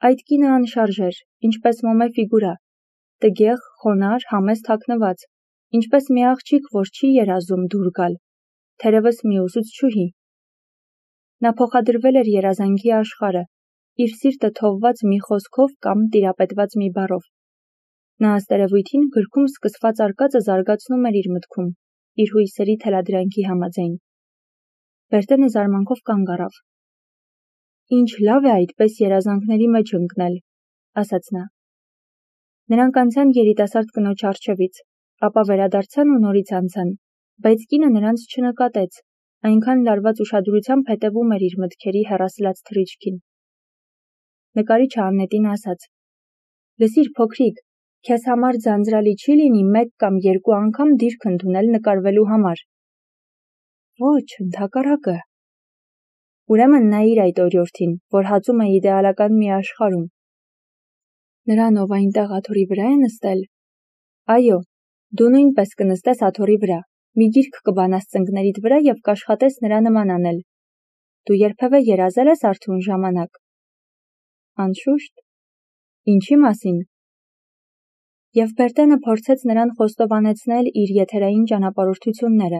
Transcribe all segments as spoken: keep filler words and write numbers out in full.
Այդ կինը անշարժ էր, ինչպես մոմե ֆիգուրա, տգեղ, խոնարհ, համեստ հագնված, ինչպես մի աղջիկ, որ չի երազում դուր գալ, թերևս մի ուսուցչուհի։ Նա փոխադրվել էր երազանքի աշխարհը, իր սիրտը թողված մի խոսքով կամ տիրապետված մի բառով։ Նա ըստերևույթին գրքում սկսված արկածը զարգացնում էր իր մտքում, իր հույսերի թելադրանքի համաձայն։ Բերտենը զարմանքով կանգ առավ։ Ինչ լավ է այդպես երազանքների մեջ ընկնել, ասաց նա։ Նրանք անցան երիտասարդ կնոջ առջևից, ապա վերադարձան ու նորից անցան, բայց կինը նրանց չնկատեց, այնքան լարված ուշադրությամբ հետևում էր իր մտքերի հեռասլաց թռիչքին։ Նկարիչը Աննետին ասաց. «Լսիր, փոքրիկ, քեզ համար ձանձրալի չի լինի մեկ կամ երկու անգամ դիրք ընդունել նկարվելու համար»։ Ոչ, ընդհակառակը։ Ուրեմն նայիր այդ օրիորդին, որ հածում է իդեալական մի աշխարհում։ Նրան, ով այնտեղ աթոռի վրա է նստել։ Այո, դու նույնպես կնստես աթոռի վրա, մի գիրք կբանաս ծնկներիդ վրա և կաշխատես նրա նման անել։ Դու երբևէ երազել ես արթուն ժամանակ։ Անշուշտ։ Ինչի մասին։ Եվ Բերտենը փորձեց նրան խոստովանեցնել իր եթերային ճանապարհորդությունները,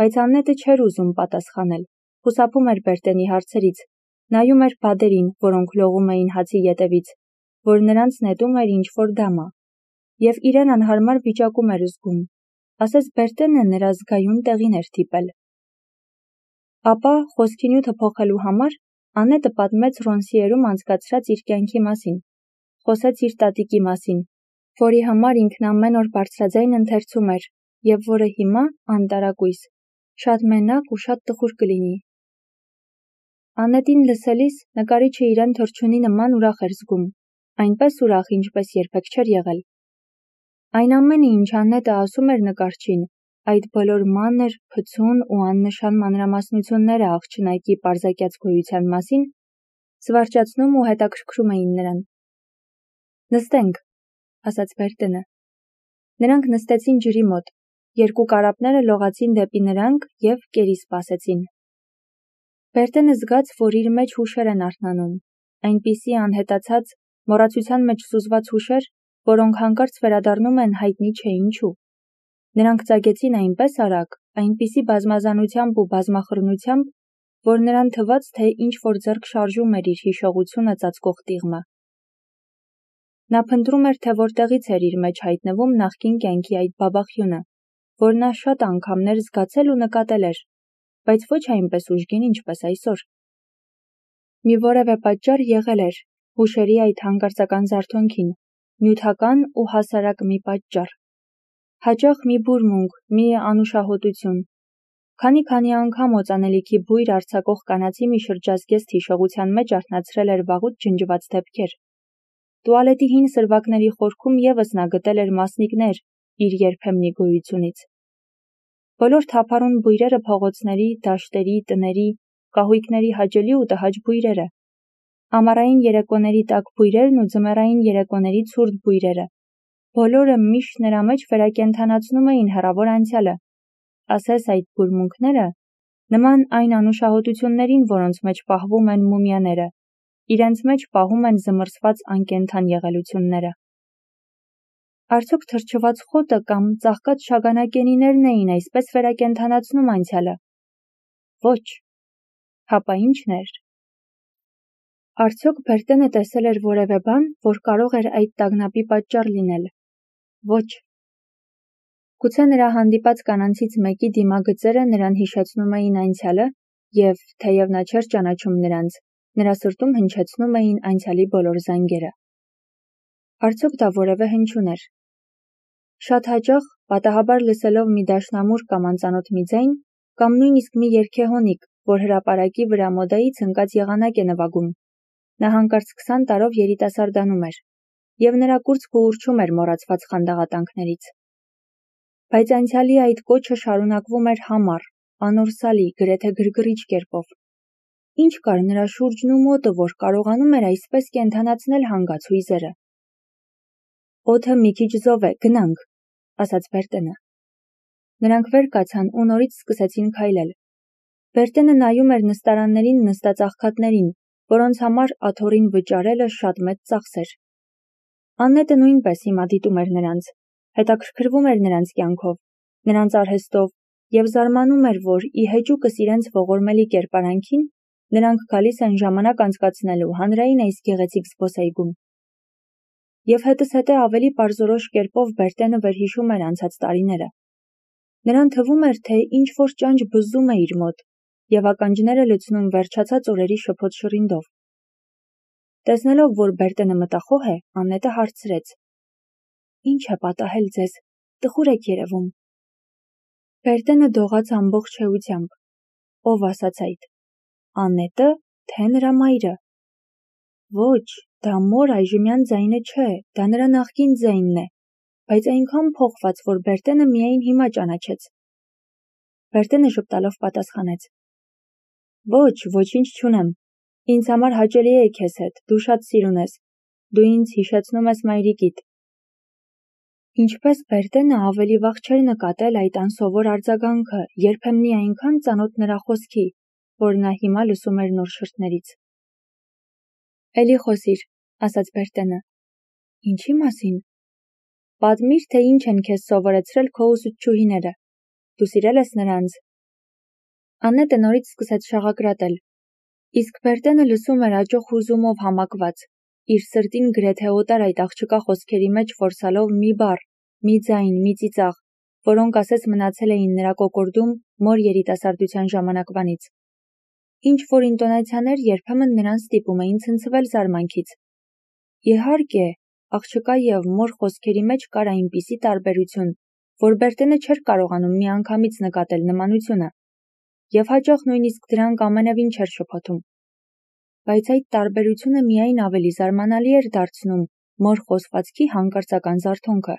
բայց Աննետը չէր ուզում պատասխանել, խուսափում էր Բերտենի հարցերից, նայում էր բադերին, որոնք լողում էին հացի ետևից, որ նրանց նետում էր ինչ-որ դամա, և իրեն անհարմար վիճակում էր զգում, ասես Բերտենը նրա զգայուն տեղին էր թիպել։ Ապա, խոսքի նյութը փոխելու համար, Աննետը պատմեց Ռոնսիերում անցկացրած իր կյանքի մասին, խոսեց իր տատիկի մասին, որի համար ինքն ամեն օր բարձրաձայն ընթերցում էր, և որը հիմա, անտարակույս, շատ մենակ ու շատ տխուր կլինի։ Աննետին լսելիս նկարիչը իրեն թռչունի նման ուրախ էր զգում, այնպես ուրախ, ինչպես երբեք չէր եղել։ Այն ամենը, ինչ Աննետը ասում էր նկարչին, այդ բոլոր մանր, փցուն ու աննշան մանրամասնությունները աղջնակի պարզակյաց գոյության մասին, զվարճացնում ու հետաքրքրում էին նրան։ Նստենք, ասաց Բերտենը։ Նրանք նստեցին ջրի մոտ, երկու կարապները լողացին դեպի նրանք և կերի սպասեցին։ Բերտենը զգաց, որ իր մեջ հուշեր են արթնանում, այնպիսի անհետացած, մոռացության մեջ սուզված հուշեր, որոնք հանկարծ վերադառնում են հայտնի չէ ինչու։ Նրանք ծագեցին այնպես արագ, այնպիսի բազմազանությամբ ու բազմախռնությամբ, որ նրան թվաց, թե ինչ-որ ձեռք շարժում էր իր հիշողությունը ծածկող տիղմը։ Նա փնտրում էր, թե որտեղից էր իր մեջ հայտնվում նախկին կյանքի այդ բաբախյունը, որ նա շատ անգամներ զգացել ու նկատել էր, բայց ոչ այնպես ուժգին, ինչպես այսօր։ Մի որևէ պատճառ եղել էր հուշերի այդ հանկարծական զարթոնքին, նյութական ու հասարակ մի պատճառ։ Հաճախ մի բուրմունք, մի անուշահոտություն։ Քանի-քանի անգամ օծանելիքի բույր արձակող կանացի մի շրջազգեստ հիշողության մեջ արթնացրել էր վաղուց ջնջված դեպքեր։ Տուալետի հին սրվակների խորքում ևս նա գտել էր մասնիկներ իր երբեմնի գոյությունից։ Բոլոր թափառուն բույրերը փողոցների, դաշտերի, տների, կահույքների հաճելի ու տհաճ բույրերը, ամառային երեկոների տաք բույրերն ու ձմեռային երեկոների ցուրտ բույրերը, բոլորը միշտ նրա մեջ վերակենդանացնում էին հեռավոր անցյալը, ասես այդ բուրմունքները, նման այն անուշահոտություններին, որոնց մեջ պահվում են մումիաները, իրենց մեջ պահում են զմռսված անկենդան եղելությունները։ Արդյոք թրջված խոտը կամ ծաղկած շագանակենիներն էին այսպես վերակենդանացնում անցյալը։ Ոչ։ Հապա ի՞նչն էր։ Արդյոք Բերտենը տեսել էր որևէ բան, որ կարող էր այդ տագնապի պատճառ լինել։ Ոչ։ Գուցե նրա հանդիպած կանանցից մեկի դիմագծերը նրան հիշեցնում էին անցյալը և, թեև նա չէր ճանաչում նրանց, նրա սրտում հնչեցնում էին անցյալի բոլոր զանգերը։ Արդյոք դա որևէ հնչյուն էր։ Շատ հաճախ, պատահաբար լսելով մի դաշնամուր կամ անծանոթ մի ձայն, կամ նույնիսկ մի երգեհոնիկ, որ հրապարակի վրա մոդայից ընկած եղանակ է նվագում, նա հանկարծ քսան տարով երիտասարդանում էր, և նրա կուրծքը ուռչում էր մոռացված խանդաղատանքներից։ Բայց անցյալի այդ կոչը շարունակվում էր համառ, անորսալի, գրեթե գրգռիչ կերպով։ Ինչ կար նրա շուրջն ու մոտը, որ կարողանում էր այսպես կենդանացնել հանգած հույզերը։ Օդը մի քիչ զով է, գնանք, ասաց Բերտենը։ Նրանք վեր կացան ու նորից սկսեցին քայլել։ Բերտենը նայում էր նստարաններին նստած աղքատներին, որոնց համար աթոռին վճարելը շատ մեծ ծախս էր։ Աննետը նույնպես հիմա դիտում էր նրանց, հետաքրքրվում էր նրանց կյանքով, նրանց արհեստով և զարմանում էր, որ ի հեճուկս իրենց ողորմելի կերպարանքին նրանք գալիս են ժամանակ անցկացնելու հանրային այս գեղեցիկ զբոսայգում։ Եվ հետզհետե ավելի պարզորոշ կերպով Բերտենը վերհիշում էր անցած տարիները։ Նրան թվում էր, թե ինչ-որ ճանճ բզում է իր մոտ և ականջները լցնում վերջացած օրերի շփոթ շռինդով։ Տեսնելով, որ Բերտենը մտախոհ է, Աննետը հարցրեց. «Ինչ է պատահել ձեզ, տխուր եք երևում»։ Բերտենը դողաց ամբողջ էությամբ. «Ով ասաց այդ, Աննետը, թե նրա մայրը»։ «Ոչ, դա մոր այժմյան ձայնը չէ, դա նրա նախկին ձայնն է, բայց այնքան փոխված, որ Բերտենը միայն հիմա ճանաչեց»։ Բերտենը ժպտալով պատասխանեց. «Ոչ, ոչինչ չունեմ, ինձ համար հաճելի է քեզ հետ, դու շատ սիրուն ես, դու ինձ հիշեցնում ես մայրիկիդ»։ Ինչպես Բերտենը ավելի վաղ չէր նկատել այդ անսովոր արձագանքը, երբեմնի այնքան ծանոթ նրա խոսքի, որ նա հիմա լսում էր նոր շրթներից։ «Էլի խոսիր», ասաց Բերտենը։ «Ինչի մասին»։ «Պատմիր, թե ինչ են քեզ սովորեցրել քո ուսուցչուհիները, դու սիրել ես նրանց»։ Աննետը նորից սկսեց շաղակրատել, իսկ Բերտենը լսում էր աճող հուզումով համակված, իր սրտին գրեթե օտար այդ աղջկա խոսքերի մեջ ֆորսալով մի բառ, մի ձայն, մի ծիծաղ, որոնք ասես մնացել էին նրա կոկորդում մոր երիտասարդության ժամանակվանից։ Ինչ-որ ինտոնացիաներ երբեմն նրան ստիպում էին ցնցվել զարմանքից։ Իհարկե, աղջկա և մոր խոսքերի մեջ կար այնպիսի տարբերություն, որ Բերտենը չէր կարողանում միանգամից նկատել նմանությունը, և հաճախ նույնիսկ դրանք ամենևին չէր շփոթում։ Բայց այդ տարբերությունը միայն ավելի զարմանալի էր դարձնում մոր խոսվածքի հանկարծական զարթոնքը։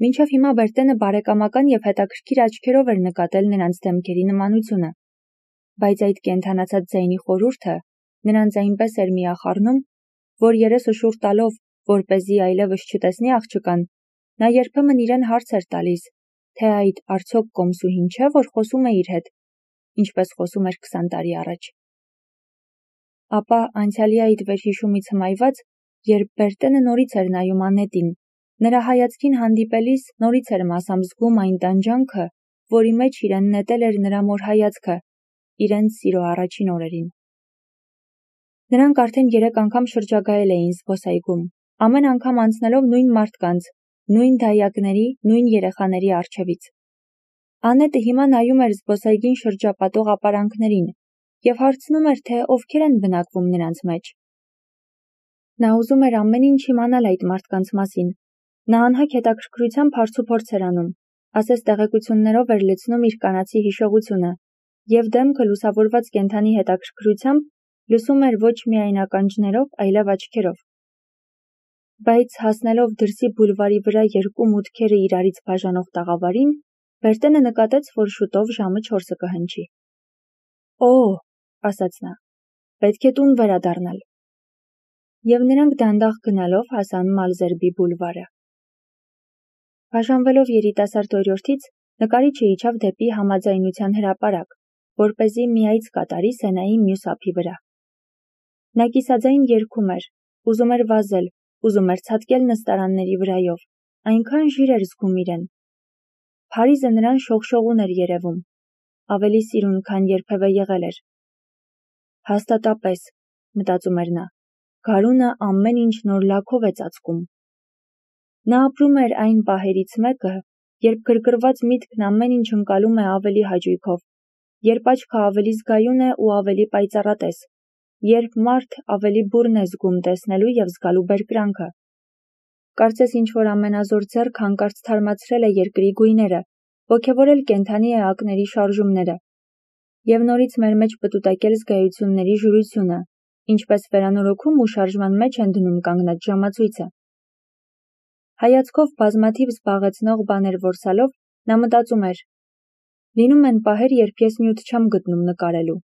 Մինչև հիմա Բերտենը բարեկամական և հետաքրքիր աչքերով էր նկատել նրանց դեմքերի նմանությունը, բայց այդ կենդանացած ձայնի խորհուրդը նրանց այնպես էր միախառնում, որ երեսը շուռ տալով, որպեսզի այլևս չտեսնի աղջկան, նա երբեմն իրեն հարց էր տալիս, թե այդ արդյոք կոմսուհին չէ, որ խոսում է իր հետ, ինչպես խոսում էր քսան տարի առաջ։ Ապա անցյալի այդ վերհիշումից հմայված, երբ Բերտենը նորից էր նայում Աննետին, նրա հայացքին հանդիպելիս նորից էր մասամբ զգում այն տանջանքը, որի մեջ իրեն նետել էր նրա մոր հայացքը, իրենց սիրո առաջին օրերին։ Նրանք արդեն երեք անգամ շրջագայել էին զբոսայգում, ամեն անգամ անցնելով նույն մարդկանց, նույն դայակների, նույն երեխաների առջևից։ Աննետը հիմա նայում էր զբոսայգին շրջապատող ապարանքներին և հարցնում էր, թե ովքեր են բնակվում նրանց մեջ։ Նա ուզում էր ամեն ինչ իմանալ այդ մարդկանց մասին։ Նա անհագ հետաքրքրությամբ հարցուփորձ էր անում, ասես տեղեկություններով էր լցնում իր կանացի հիշողությունը, և դեմքը լուսավորված կենդանի հետաքրքրությամբ լսում էր ոչ միայն ականջներով, այլև աչքերով։ Բայց հասնելով դրսի բուլվարի վրա երկու մուտքերը իրարից բաժանող տաղավարին, Բերտենը նկատեց, որ շուտով ժամը չորսը կհնչի։ «Օ՜», ասաց նա, «պետք է տուն վերադառնալ»։ Եվ նրանք դանդաղ գնալով հասան Մալզերբի բուլվարը։ Բաժանվելով երիտասարդ օրիորդից, նկարիչը իջավ դեպի համաձայնության հրապարակ, որպեսզի մի այց կատարի Սենայի մյուս ափի վրա։ Նա կիսաձայն երգում էր, ուզում էր վազել, ուզում էր ցատկել նստարանների վրայով, այնքան ժիր էր զգում իրեն։ Փարիզը նրան շողշողուն էր երևում, ավելի սիրուն, քան երբևէ եղել էր։ Հաստատապես, մտածում էր նա, գարունը ամեն ինչ նոր լաքով է ծածկում։ Նա ապրում էր այն պահերից մեկը, երբ գրգռված միտքն ամեն ինչ ընկալում է ավելի հաճույքով, երբ աչքը ավելի զգայուն է ու ավելի պայծառատես, երբ մարդ ավելի բուռն է զգում տեսնելու և զգալու բերկրանքը։ Կարծես ինչ-որ ամենազոր ձեռք հանկարծ թարմացրել է երկրի գույները, ոգևորել կենդանի էակների շարժումները և նորից մեր մեջ պտուտակել զգայությունների ժուրությունը, ինչպես վերանորոգում ու շարժման մեջ են դնում կանգնած ժամացույցը։ Հայացքով բազմաթիվ զբաղեցնող բաներ որսալով, նա մտածում էր. լինում են պահեր, երբ ես նյութ չեմ գտնում նկարելու։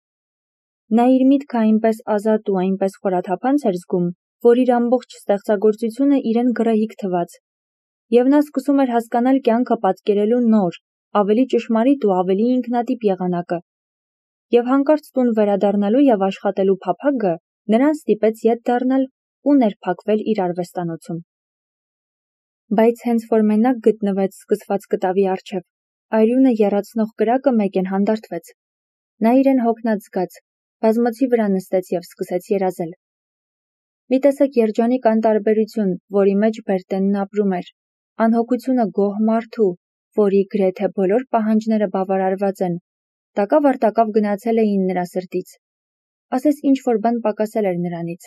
Նա իր միտքը այնպես ազատ ու այնպես խորաթափանց էր զգում, որ իր ամբողջ ստեղծագործությունը իրեն գռեհիկ թվաց, և նա սկսում էր հասկանալ կյանքը պատկերելու նոր, ավելի ճշմարիտ ու ավելի ինքնատիպ եղանակը։ եւ հանկարծ տուն վերադառնալու եւ աշխատելու փափագը նրան ստիպեց ետ դառնալ ու ներփակվել իր արվեստանոցում։ Բայց հենց որ մենակ գտնվեց սկսված կտավի առջև, արյունը եռացնող կրակը մեկեն հանդարտվեց։ Նա իրեն հոգնած զգաց, բազմոցի վրա նստեց եւ սկսեց երազել։ Մի տեսակ երջանիկ անտարբերություն, որի մեջ Բերտենն ապրում էր, անհոգությունը գոհ մարդու, որի գրեթե բոլոր պահանջները բավարարված են, տակավ առ տակավ գնացել էին նրա սրտից։ Ասես ինչ-որ բան պակասել էր նրանից։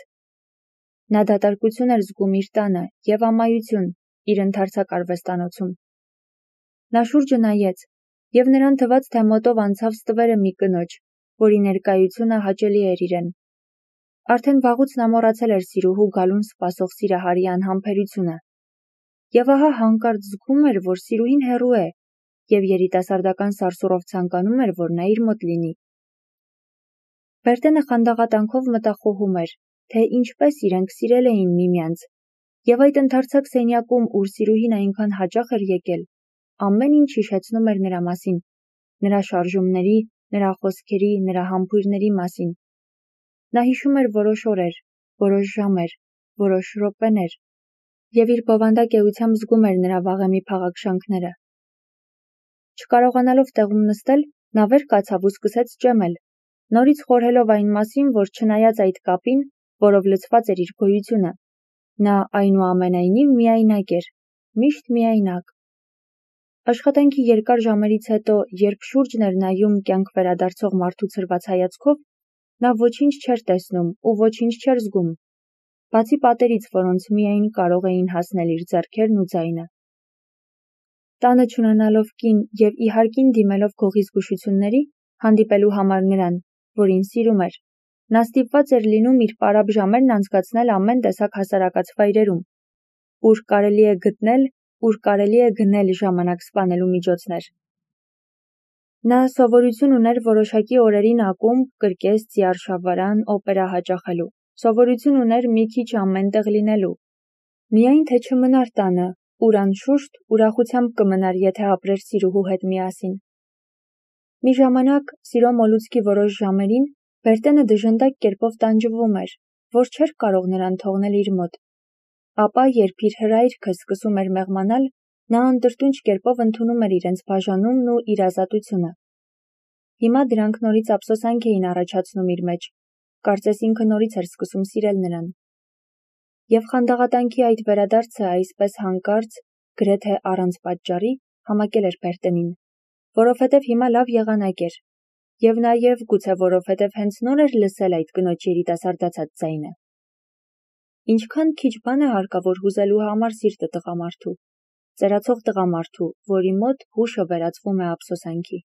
Նա դատարկություն էր զգում իր տանը եւ ամայություն իր ընդարձակ արվեստանոցում։ Նա շուրջը նայեց եւ նրան թվաց, թե մոտով անցավ ստվերը մի կնոջ, որի ներկայությունը հաճելի էր իրեն։ Արդեն վաղուց նա մոռացել էր սիրուհու գալուն սպասող սիրահարի անհամբերությունը։ Եվ ահա հանկարծ զգում էր, որ սիրուհին հեռու է, եւ երիտասարդական սարսուռով ցանկանում էր, որ նա իր մոտ լինի։ Բերտենը խանդաղատանքով մտախոհում էր, թե ինչպես իրենք սիրել էին միմյանց, եւ այդ ընդարձակ սենյակում, ուր սիրուհին այնքան հաճախ էր եկել, ամեն ինչ հիշեցնում էր նրա մասին, նրա շարժումների, նրա խոսքերի, նրա համբույրների մասին։ Նա հիշում էր որոշ օրեր, որոշ ժամեր, որոշ րոպեներ, եւ իր բովանդակ էությամբ զգում էր նրա վաղեմի փաղաքշանքները։ Չկարողանալով տեղում նստել, նա վեր կացավ ու սկսեց ճեմել, նորից խորհելով այն մասին, որ չնայած այդ կապին, որով լցված էր իր գոյությունը, նա այնուամենայնիվ միայնակ էր, միշտ միայնակ։ Աշխատանքի երկար ժամերից հետո, երբ շուրջն էր նայում կյանք վերադարձող մարդու ցրված հայացքով, նա ոչինչ չէր տեսնում ու ոչինչ չէր զգում, բացի պատերից, որոնց միայն կարող էին հասնել իր ձեռքերն ու ձայնը։ Տանը չունենալով կին եւ իհարկին դիմելով գողի զգուշությունների, հանդիպելու համար նրան, որին սիրում էր, նա ստիպված էր լինում իր պարապ ժամերն անցկացնել ամեն տեսակ հասարակած վայրերում, ուր կարելի է գտնել, ուր կարելի է գնել ժամանակ սպանելու միջոցներ։ Նա սովորություն ուներ որոշակի օրերին ակումբ, կրկես, ծիարշավարան, օպերա հաճախելու, սովորություն ուներ մի քիչ ամենտեղ լինելու։ Միայն թե չմնար տանը, ուր անշուշտ ուրախությամբ կմնար, եթե ապրեր սիրուհու հետ միասին։ Մի ժամանակ, սիրո մոլուցքի որոշ ժամերին, Բերտենը դժնդակ կերպով տանջվում էր, որ չէր կարող նրան թողնել իր մոտ։ Ապա, երբ իր հրայրքը սկսում էր մեղմանալ, նա անտրտունջ կերպով ընդունում էր իրենց բաժանումն ու իր ազատությունը։ Հիմա դրանք նորից ափսոսանք էին առաջացնում իր մեջ, կարծես ինքը նորից էր սկսում սիրել նրան։ Եվ խանդաղատանքի այդ վերադարձը այսպես հանկարծ, գրեթե առանց պատճառի, համակել էր Բերտենին, որովհետև հիմա լավ եղանակ էր, եւ նաեւ գուցե որովհետև հենց նոր էր լսել այդ կնոջ երիտասարդացած ձայնը։ Ինչքան քիչ բան է հարկավոր հուզելու համար սիրտը տղամարդու, ծերացող տղամարդու, որի մոտ հուշը վերածվում է ափսոսանքի։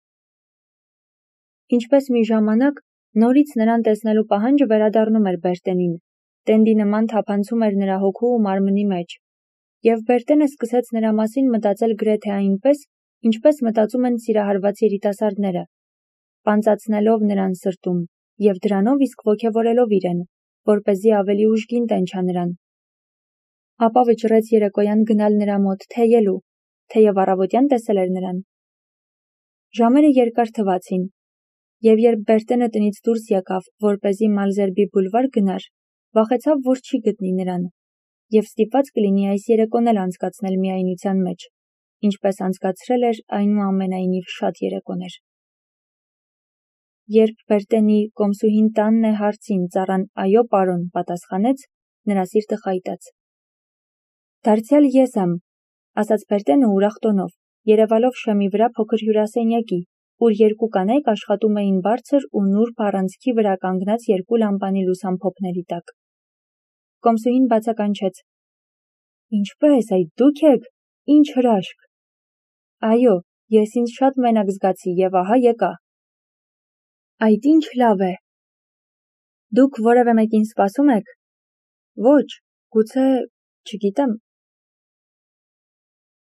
Ինչպես մի ժամանակ, նորից նրան տեսնելու պահանջը վերադառնում էր Բերտենին, տենդի նման թափանցում էր նրա հոգու ու մարմնի մեջ, եւ Բերտենը սկսեց նրա մասին մտածել գրեթե այնպես, ինչպես մտածում են սիրահարված երիտասարդները, պանծացնելով նրան սրտում եւ դրանով իսկ ոգևորելով իրեն, որպեսզի ավելի ուժգին տենչա նրան։ Ապա վճռեց երեկոյան գնալ նրա մոտ թեյելու, թեև առավոտյան տեսել էր նրան։ Ժամերը երկար թվացին, եւ երբ Բերտենը տնից դուրս եկավ, որպեսզի Մալզերբի բուլվար գնար, վախեցավ, որ չի գտնի նրան, եւ ստիպված կլինի այս երեկոն էլ անցկացնել միայնության մեջ, ինչպես անցկացրել էր այնուամենայնիվ շատ երեկոներ։ Երբ Բերտենի կոմսուհին տանն է հարցին ծառան այո պարոն պատասխանեց, նրա սիրտը խայտաց։ Դարձյալ ես եմ, ասաց Բերտենը ուրախ տոնով, երևալով շեմի վրա փոքր հյուրասենյակի, ուր երկու կանայք աշխատում էին բարձր ու նուրբ առանցքի վրա կանգնած երկու լամպանի լուսամփոփների տակ։ Կոմսուհին բացականչեց. Ինչպե՞ս, այդ դուք եք, ինչ հրաշք։ Այո, ես ինձ շատ մենակ զգացի եւ ահա եկա։ Այդ ինչ լավ է։ Դուք որևէ մեկին սպասում եք։ Ոչ, գուցե, չգիտեմ,